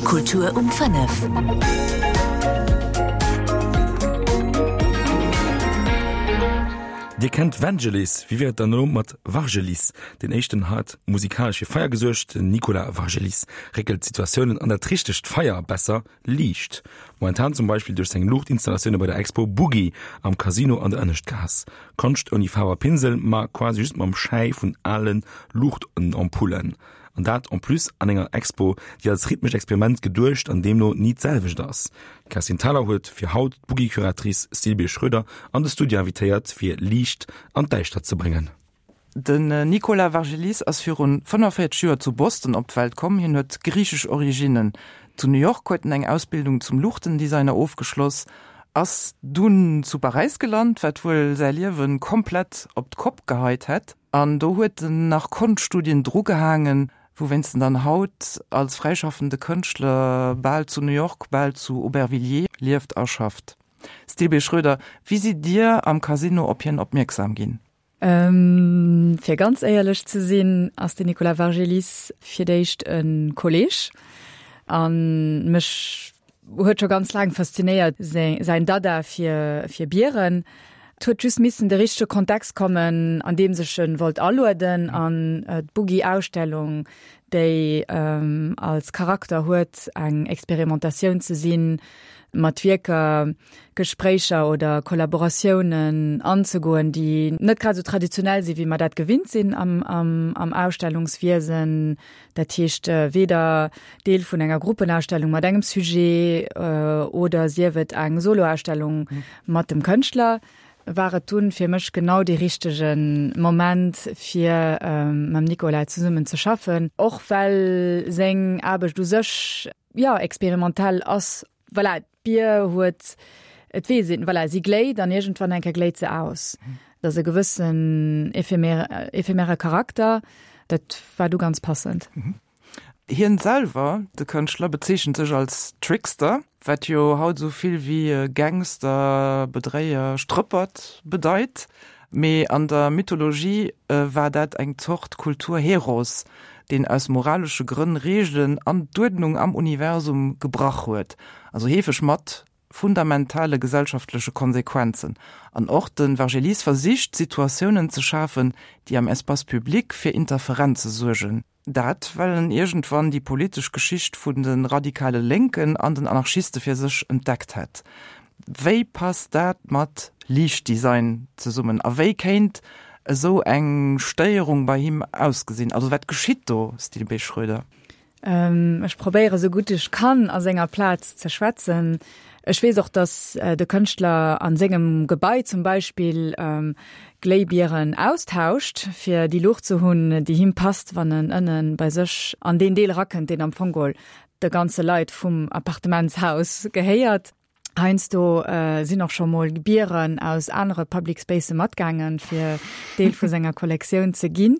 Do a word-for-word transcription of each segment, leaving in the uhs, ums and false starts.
Kultur um fënnef. Dir kennt Vangelis, wéi wier et dann elo mat Vargelis? Deen éischten hat musikalesch fir Feier gesuergt, den Nicolas Vargelis réckelt Situatiounen an dat richtegt Feier, besser Liicht. Momentan zum Beispill duerch seng Luuchtinstallatioune bei der Expo Boogie am Casino an der Ënneschtgaass. Konscht ouni Faarf a Pinsel, ma quasi just mam Schäi vun ale Luuchtenampullen. An dat en plus an enger Expo, déi als rhythmescht Experiment geduecht an deemno ni d'selwecht ass. D'Kerstin Thalau huet fir haut d'Boogie-Curatrice Sylvie Schröder an de Studio invitéiert, fir Liicht an d'Däischtert ze bréngen. Den Nicolas Vargelis ass virun fënnefenvéierzeg Joer zu Boston op d'Welt komm. Hien huet griichesch Originnen. Zu New York huet en eng Ausbildung zum Luuchtendesigner ofgeschloss, ass dunn zu Paräis gelant, wat wuel säi Liewe komplett op d'Kopp geheit hätt. An do huet en nach Konschtstudien drugehaangen, wouwéinst en dann haut als fräischaffende Kënschtler bal zu New York, bal zu Aubervilliers lieft a schafft. Stilbé Schroeder, wéi sidd Dir am Casino op hien opmierksam ginn? Fir ganz éierlech ze sinn, ass den Nicolas Vargelis fir d'éischt e Kolleeg a mech huet scho ganz laang faszinéiert säin Dada fir fir Bieren. Et huet just missen de richtege Kontext kommen, an deem sech en wollt alueden an d'Boogie-Ausstellung, déi als Charakter huet, eng Experimentatioun ze sinn, mat Wierker Gespréicher oder Kollaboratiounen anzegoen, déi net grad esou traditionell sinn, wéi mer dat gewinnt sinn am, am, am Ausstellungswiesen. Dat heescht weder Deel vun enger Gruppenausstellung mat engem Sujet oder sief et eng Soloausstellung mat dem Kënschtler, war et dunn fir mech genau dee richtege Moment, fir mam Nicolas zesummen ze schaffen, och well seng Aarbecht u sech, jo, experimentell ass. Voilà, d'Bier huet, et weess een, voilà, si gléit an iergendwann eng Kéier gléit se aus. Dat ass e gewëssen ephemere, ephemere Charakter, dat war du ganz passend. Hien selwer, de Kënschtler, bezeechent sech als Trickster, wat jo haut esou vill wéi Gangster, Bedréier, Strëppert bedeit. Mee an der Mythologie war dat eng Zort Kulturheros, deen aus moralesche Grënn Reegelen an d'Uerdnung am Universum gebrach huet, also heefeg mat fundamentale gesellschaftleche Konsequenzen. An och de Vargelis versicht, Situatiounen ze schafen, déi am Espace public fir Interferenze suergen. Dat, well en iergendwann déi politesch Geschicht vun de radikale Lénken an den Anarchiste fir sech entdeckt hätt. Wéi passt dat mat Liichtdesign zesummen a wéi kéint esou eng Stéierung bei him ausgesinn? Also wat geschitt do, Stilbé Schroeder? Ech probéiere sou gutt ech kann a senger Plaz ze schwätzen. Ech weess och, datt de Kënschtler a sengem Gebai zum Beispill Gléibieren austauscht, fir déi Luucht ze hunn, déi him passt, wann en ënne bei sech an deen Deel erakënnt, deen am Fong geholl de ganze Leit vum Appartementshaus gehéiert. Heiansdo sinn och scho mol Bieren aus anere Public Spacë matgaangen, fir Deel vu senger Kollektioun ze ginn.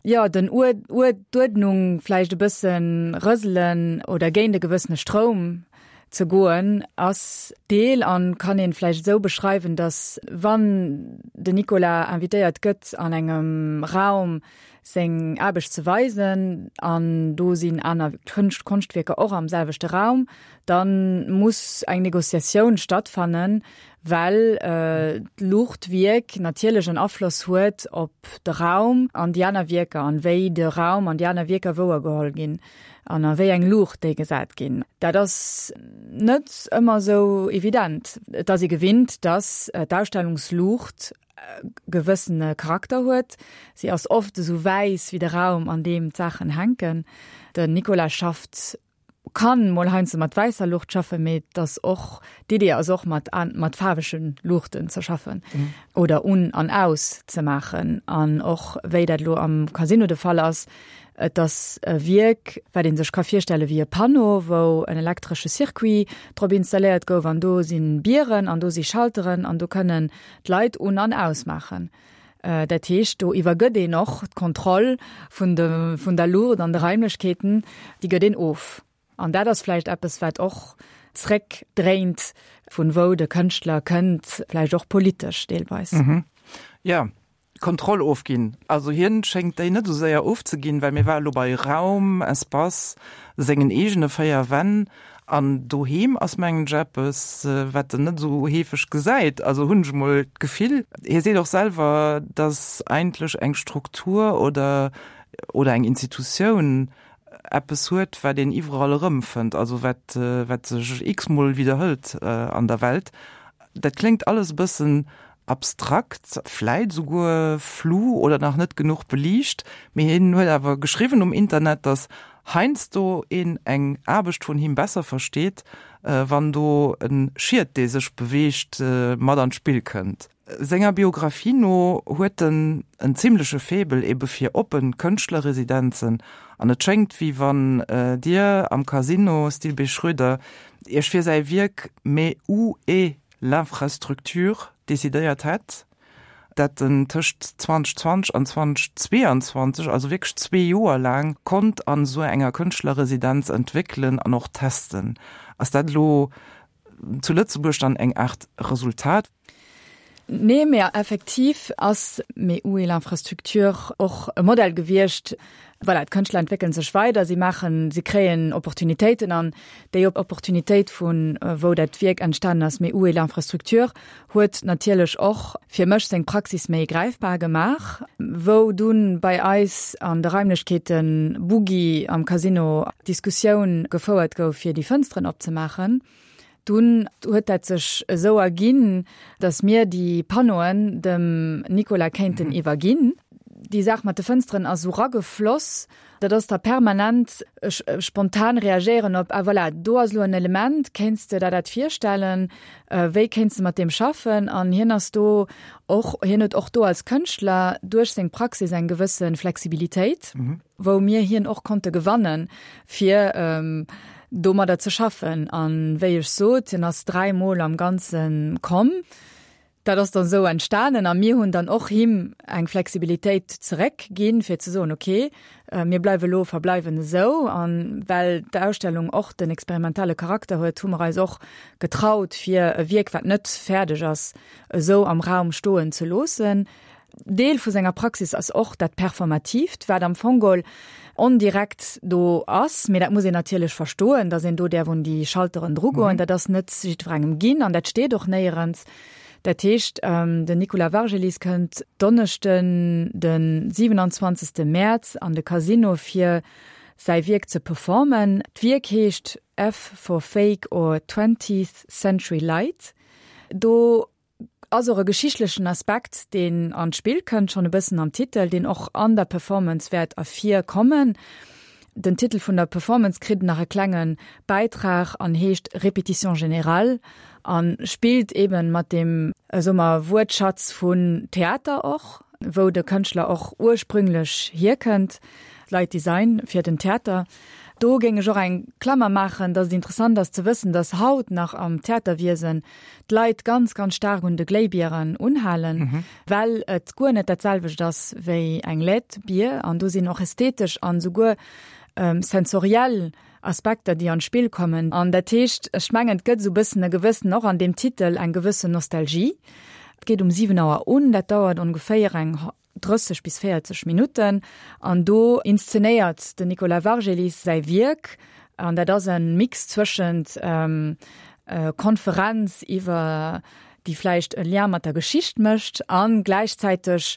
Jo, den Uer, Uer, d'Uerdnung vläicht e bësse rëselen oder géint e gewëssene Stroum ze goen, ass Deel an kann een vläicht esou beschreiwen, dass wann den Nicolas invitéiert gëtt an engem Raum seng Aarbecht ze weisen an do sinn aner Kënscht, Konschtwierker och am selwechte Raum, da muss eng Negociatioun stattfannen, well d'Luuchtwierk natierlech en Afloss huet op de Raum an déi aner Wierker an wéi de Raum an déi aner Wierker wouergeholl ginn an a wéi eng Luucht déi gesat ginn. Dat ass net ëmmer esou evident. Et ass ee gewinnt, dass d'Ausstellungsluucht gewëssene Charakter huet. Si ass oft esou wäiss wéi de Raum, an deem d'Saachen hänken. Den Nicolas schafft, kann mol heiansdo mat wäisser Luucht schaffen, mee et ass och, d'Idee ass och mat mat faarwege Luuchten ze schaffen oder un an aus ze maachen. An och wéi dat elo am Casino de Fall ass, Et ass e Wierk, wat ee sech ka virstelle wéi e Panneau, wou en elektresche Circuit drop installéiert gouf an do si Bieren an do si Schalteren an do kënnen d'Leit un an ausmaachen. Dat heescht, do iwwergëtt een och d'Kontroll vun de vun der Luucht an de Raimlechkeeten, déi gëtt een of. An dat ass vläicht eppes, wat och zréckdréint, vun wou de Kënschtler kënnt, vläicht och politesch deelweis. Jo, Kontroll ofginn. Also hien schéngt déi net esou séier ofzeginn, well mir ware lo bei Raum, Espace, sengen eegene véier Wänn an doheem ass mengen ech eppes, wat en net esou heefeg gesäit. Also hunn ech mol d'Gefill. Hie seet och selwer, dass eigentlech eng Struktur oder oder eng Institutioun eppes huet, wat een iwwerall erëmfënnt, also wat wat sech x-mol widderhëlt an der Welt. Dat kléngt alles e bëssen abstrakt, vläit souguer flou oder nach net genuch beliicht, mee hien huet awer geschriwwen um Internet, datt heiansdo een eng Aarbecht vun him besser versteet, wann do e Schiet, dee sech beweegt, mat an d'Spill kënnt. Senger Biographie no huet en en zimmleche Faible ebe fir oppen Kënschtlerresidenzen an et schéngt wéi wann Dir am Casino Stilbé Schroeder Iech fir säi Wierk Mais où est l'infrastructure? decidéiert hätt, dat en tëscht zweedausendzwanzeg an zweedausendzweeanzwanzeg, also wierklech zwee Joer laang, konnt an esou enger Kënschtlerresidenz entwéckelen an och testen. Ass dat elo zu Lëtzebuerg dann eng Aart Resultat? Nee, mä effektiv ass Mais où est l'infrastructure och e Modell gewiescht. Voilà, d'Kënschtler entwéckele sech weider, si maachen, si kréien Opportunitéiten an déi Opportunitéit vun wou dat Wierk entstanen ass, Mais où est l'infrastructure, huet natierlech och fir mech seng Praxis méi gräifbar gemaach. Wou dunn bei eis an de Raimlechkeeten Boogie am Casino d'Diskussioun gefouert gouf fir déi Fënsteren opzemaachen, Dunn huet dat sech esou erginn, datt mir déi Panneauen dem Nicolas kéinten iwwerginn. Déi Saach mat de Fënsteren ass esou ragefloss, dat ass da permanent spontan reagéieren op, ah voilà, do ass elo en Element, kéints de der dat virstellen, wéi kéints de mat deem schaffen? An hien ass do och, hien huet och do als Kënschtler duerch seng Praxis eng gewësse Flexibilitéit, wou mir hien och konnte gewannen, fir domadder ze schaffen. An wéi ech sot, hien ass dräi Mol am Ganze komm. Dat ass dann esou entstanen a mir hunn dann och him eng Flexibilitéit zeréck ginn, fir ze soen, okay, mir bleiwe lo, verbleiwen esou. An well d'Ausstellung och den experimentelle Charakter huet, hu mer eis och getraut, fir e Wierk, wat net fäerdeg ass, esou am Raum stoen ze loossen. Deel vu senger Praxis ass och dat Performatiivt, wat am Fong geholl ondirekt do ass, mee dat muss een natierlech verstoen, datt een do däerf un déi Schalteren drugoen. Dat ass net jiddwerengem ginn an dat steet och néierens. Dat heescht, den Nicolas Wargelis kënnt Donneschden, de siwenanzwanzegste Mäerz an de Casino fir säi Wierk ze performen. D'Wierk heescht F for Fake or Twentieth Century Light. Do ass och e geschichtlechen Aspekt, deen an d'Spill kënnt, schonn e bëssen am Titel, deen och an der Performance wäert ervir kommen. Den Titel vun der Performance kritt nach e klenge Bäitrag an heescht Répétition générale a spillt eben mat deem, soe mer, Wuertschatz vun Theater och, wou de Kënschtler och ursprünglech hierkënnt, Light Design fir den Theater. Do géing ech och eng Klammer maachen, dass et interessant ass ze wëssen, dass haut nach am Theaterwiesen d'Leit ganz, ganz staark un de Gléibieren unhalen, well et guer net dat selwecht ass wéi eng Led-Bier. An do sinn och ästhetesch an esouguer sensoriell Aspekter, déi an d'Spill kommen. An dat heescht, ech mengen, et gëtt esou e bëssen e gewëssen, och an deem Titel, eng gewëssen Nostalgie. Et geet um siwen Auer un, dat dauert ongeféier eng drësseg bis véierzeg Minutten an do inszenéiert den Nicolas Wargelis säi Wierk an dat ass e Mix zwëschent Konferenz iwwer déi vläicht e Lien mat der Geschicht mécht a gläichzäiteg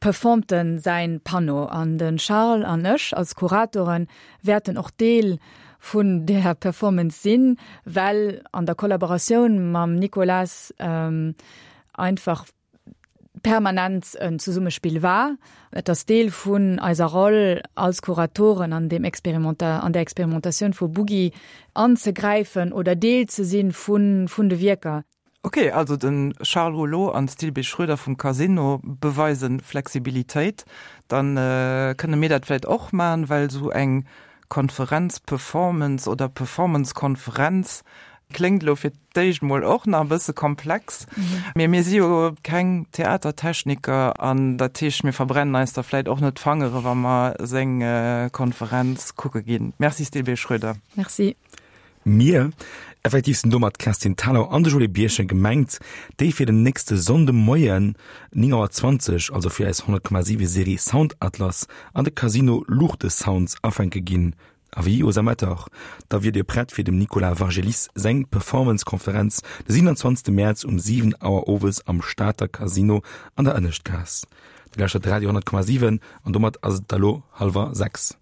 performt en säin Panneau. An de Charles an ech als Kuratoren wäerten och Deel vun där Performance sinn, well an der Kollaboratioun mam Nicolas einfach permanent en Zesummespill war. Et ass Deel vun eiser Roll als Kuratoren an deem Experimenta an der Experimentatioun vu Boogie anzegräifen oder Deel ze sinn vun vun de Wierker. Ok, also de Charles Rouleau an d'Stilbé Schroeder vum Casino beweisen Flexibilitéit. Dann kënne mir dat vläit och man, well sou eng Konferenz-Performance oder Performance-Konferenz kléngt elo fir d'éischt mol och nach e bësse komplex. Mee mir si jo keng Theatertechniker an dat heescht, mir verbrennen eis da vläit och net d'Fangere wa mer seng Konferenz kucke ginn. Merci Stilbé Schroeder. Merci. Mir, effektiv sinn domat d'Kerstin Thalau an de Joé Birchen gemengt, déi fir den nächste Sonndemoien néng Auer zwanzeg, also fir eis honnert Komma siwe Serie Sound Atlas an de Casino Luuchtesounds afänke ginn. Avis aux amateurs, Da wier Dir prett fir dem Nicolas Wargelis seng Performance-Konferenz de siewenundzwanzegste Mäerz um siwen Auer owes am Stater Casino an der Ënneschtgaass. Dir lauschtert Radio honnert Komma siwen an domat ass et elo hallwer sechs.